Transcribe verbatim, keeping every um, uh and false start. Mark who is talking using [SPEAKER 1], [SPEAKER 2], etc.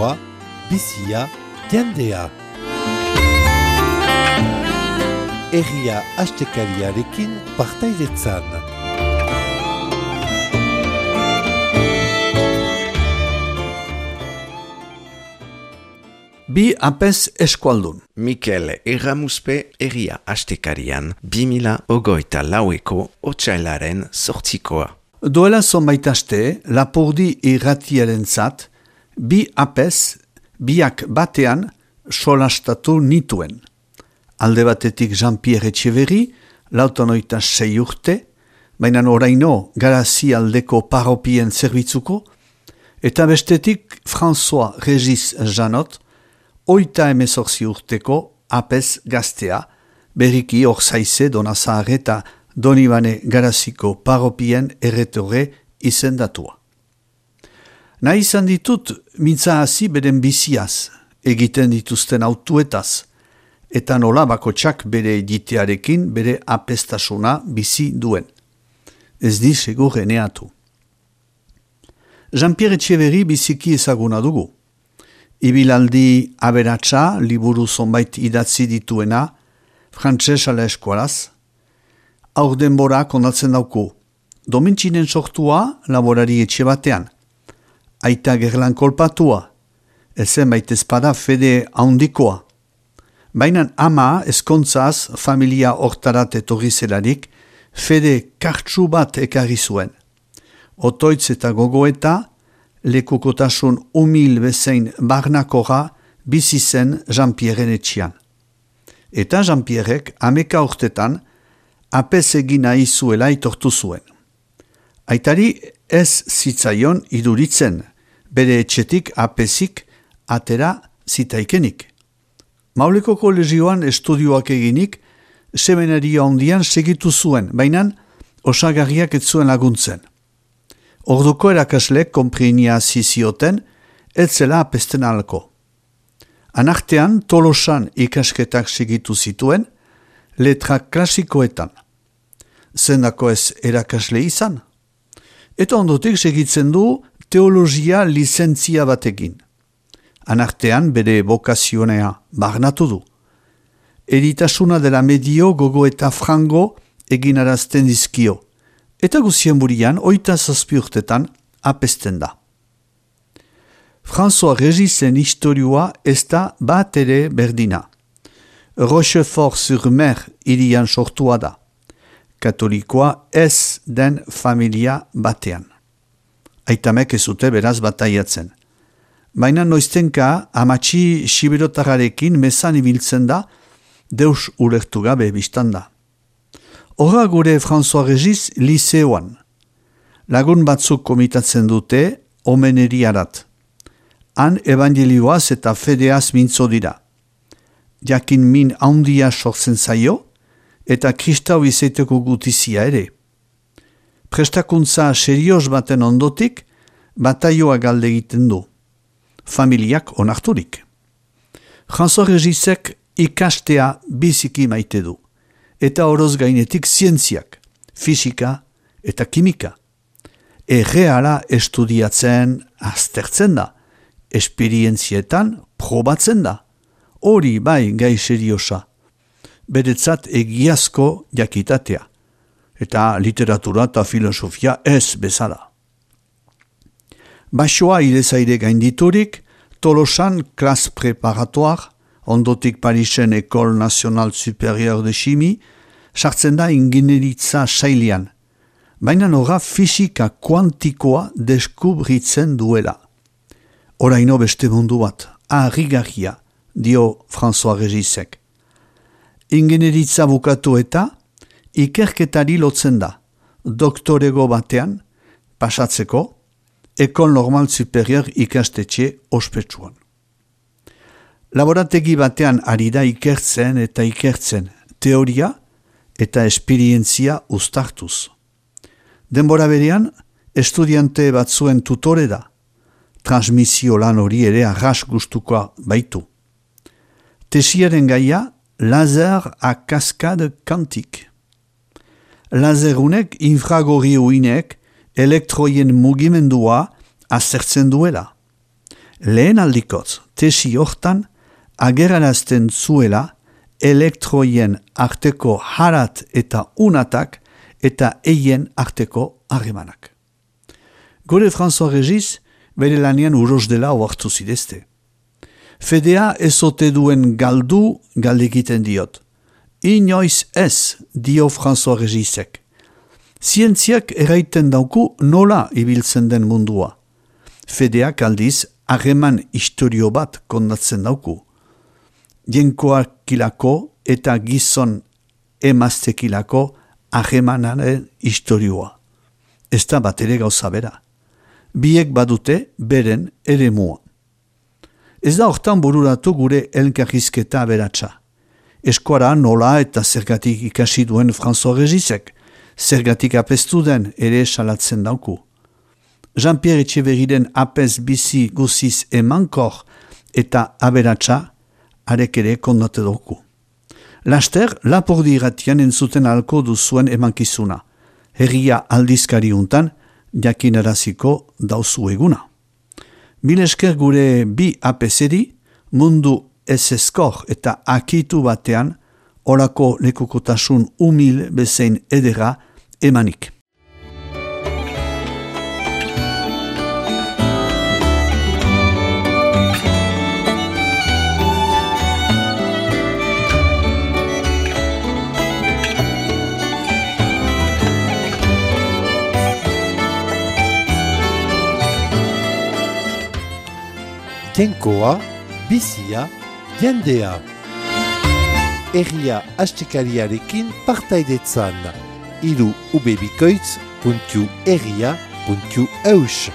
[SPEAKER 1] historioa, bizia, jendea. Herria astekariarekin partaidetzan.
[SPEAKER 2] Bi apez eskualdun.
[SPEAKER 3] Mikel Erramuspe herria astekarian bi mila hogeita laueko otsailaren zortzikoa.
[SPEAKER 2] Duela zonbait aste, Lapurdi irratiaren zat, bi apez, biak batean, solastatu nituen. Alde batetik Jean-Pierre Etxeverri, lautonoita sei urte, baina oraino Garazi aldeko paropien zerbitzuko, eta bestetik François Regis Janot, oita emezorzi urteko apez gaztea, berriki Orzaize Donazahar eta Donibane Garaziko paropien erretore izendatua. Nahi izan ditut mintza hasi beren biziaz, egiten dituzten autuetaz, eta nola bakotsak bere egitearekin bere apestasuna bizi duen. Ez di segur eneatu. Jean-Pierre Etxeverri biziki ezaguna dugu. Ibilaldi aberatsa, liburu zonbait idatzi dituena, frantses ala eskualaz, aur denbora kondatzen dauku. Domentzinen sortua laborari etxe batean. Aita gerlan kolpatua, ezen bait ezpada fede haundikoa. Baina ama ezkontzaz familia hortarat etorri zelarik, fede kartsu bat ekarri zuen. Otoitz eta gogoeta, lekukotasun umil bezein barnakora bizi zen Jean-Pierren etxian. Eta Jean-Pierrek ameka urtetan apez egin nahi zuela itortu zuen. Aitari ez zitzaion iduritzen, bere etxetik apezik atera zitaikenik. Mauleko kolegioan estudioak eginik, seminaria ondian segitu zuen, baina osagarriak ez zuen laguntzen. Orduko erakaslek konprinia zizioten, ez zela apesten alko. Anartean Tolosan ikasketak segitu zituen, letra klasikoetan. Zendako ez erakasle izan. Eta ondotik segitzen du teologia lizentzia batekin. Anartean bere bokazionea barnatu du. Eritasuna dela medio gogo eta frango eginarazten dizkio. Eta guzien burian, oita zazpi urtetan, apesten da. François Regisen historioa ez da bat ere berdina. Rochefort-sur-Mer irian sortua da. Katolikoa ez den familia batean. Aitamek ez zute beraz bataiatzen. Baina noiztenka amatxi siberotararekin mezan ibiltzen da, deus ulertu gabe biztanda. Horra gure François Regis liseoan. Lagun batzuk komitatzen dute omeneriarat. Han evangelioaz eta fedeaz mintzo dira. Jakin min handia sortzen zaio, eta kristau izaiteko gutizia ere. Prestakuntza serioz baten ondotik, bataioa galde egiten du. Familiak onarturik. François Regisek ikastea biziki maite du. Eta oroz gainetik zientziak, fisika eta kimika. Erreala estudiatzen aztertzen da, esperientzietan probatzen da. Hori bai gai seriosa. Beretzat egiazko jakitatea. Eta literatura eta filosofia ez bezala. Basoa irezaire gainditurik, Tolosan klas preparatoar, ondotik Parisen École Nationale Supérieure de Chimie, sartzen da ingineritza sailean, baina nora fisika kuantikoa deskubritzen duela. Oraino beste mundu bat, harrigarria, dio François Regisek. Ingineritza bukatu eta ikerketari lotzen da, doktorego batean, pasatzeko, École Normale Supérieure ikastetxe ospetsuan. Laborategi batean ari da ikertzen eta ikertzen, teoria eta esperientzia uztartuz. Denbora berean, estudiante batzuen tutore da, transmisio lan hori ere arras gustukoa baitu. Tesiaren gaia, laser a cascade quantique. Laserunek infragorri uinek elektroien mugimendua azertzen duela. Lehen aldikotz, tesi hortan, agerarazten zuela elektroien arteko harat eta unatak eta eien arteko harremanak. Gure François Regis bere lanian uros dela oartu zidezte. Fedea ezote duen galdu galdekiten diot. Inoiz ez, dio François Regisek. Zientziak eraiten dauku nola ibiltzen den mundua. Fedeak aldiz harreman historio bat kondatzen dauku. Jenkoakilako eta gizon emaztekilako harremanaren historioa. Ez da bat ere gauza bera. Biek badute beren eremua. Ez da hortan bururatu gure elkarrizketa aberatsa. Eskuara nola eta zergatik ikasi duen François Regisek, zergatik apestu den ere salatzen dauku. Jean-Pierre Etxeberriren apez bizi guziz emankor eta aberatsa arek ere kondate dauku. Laster, Lapurdi irratian entzuten alko duzuen emankizuna. Herria aldizkari untan, jakinaraziko dauzu eguna. Mil esker gure bi apezeri, mundu ez eskor eta akitu batean, orako lekukotasun umil bezein edera emanik.
[SPEAKER 1] Jainkoa, bizia, jendea. Herria astekariarekin partaidetzan. Hiru ubebikoitz puntu herria puntu eus.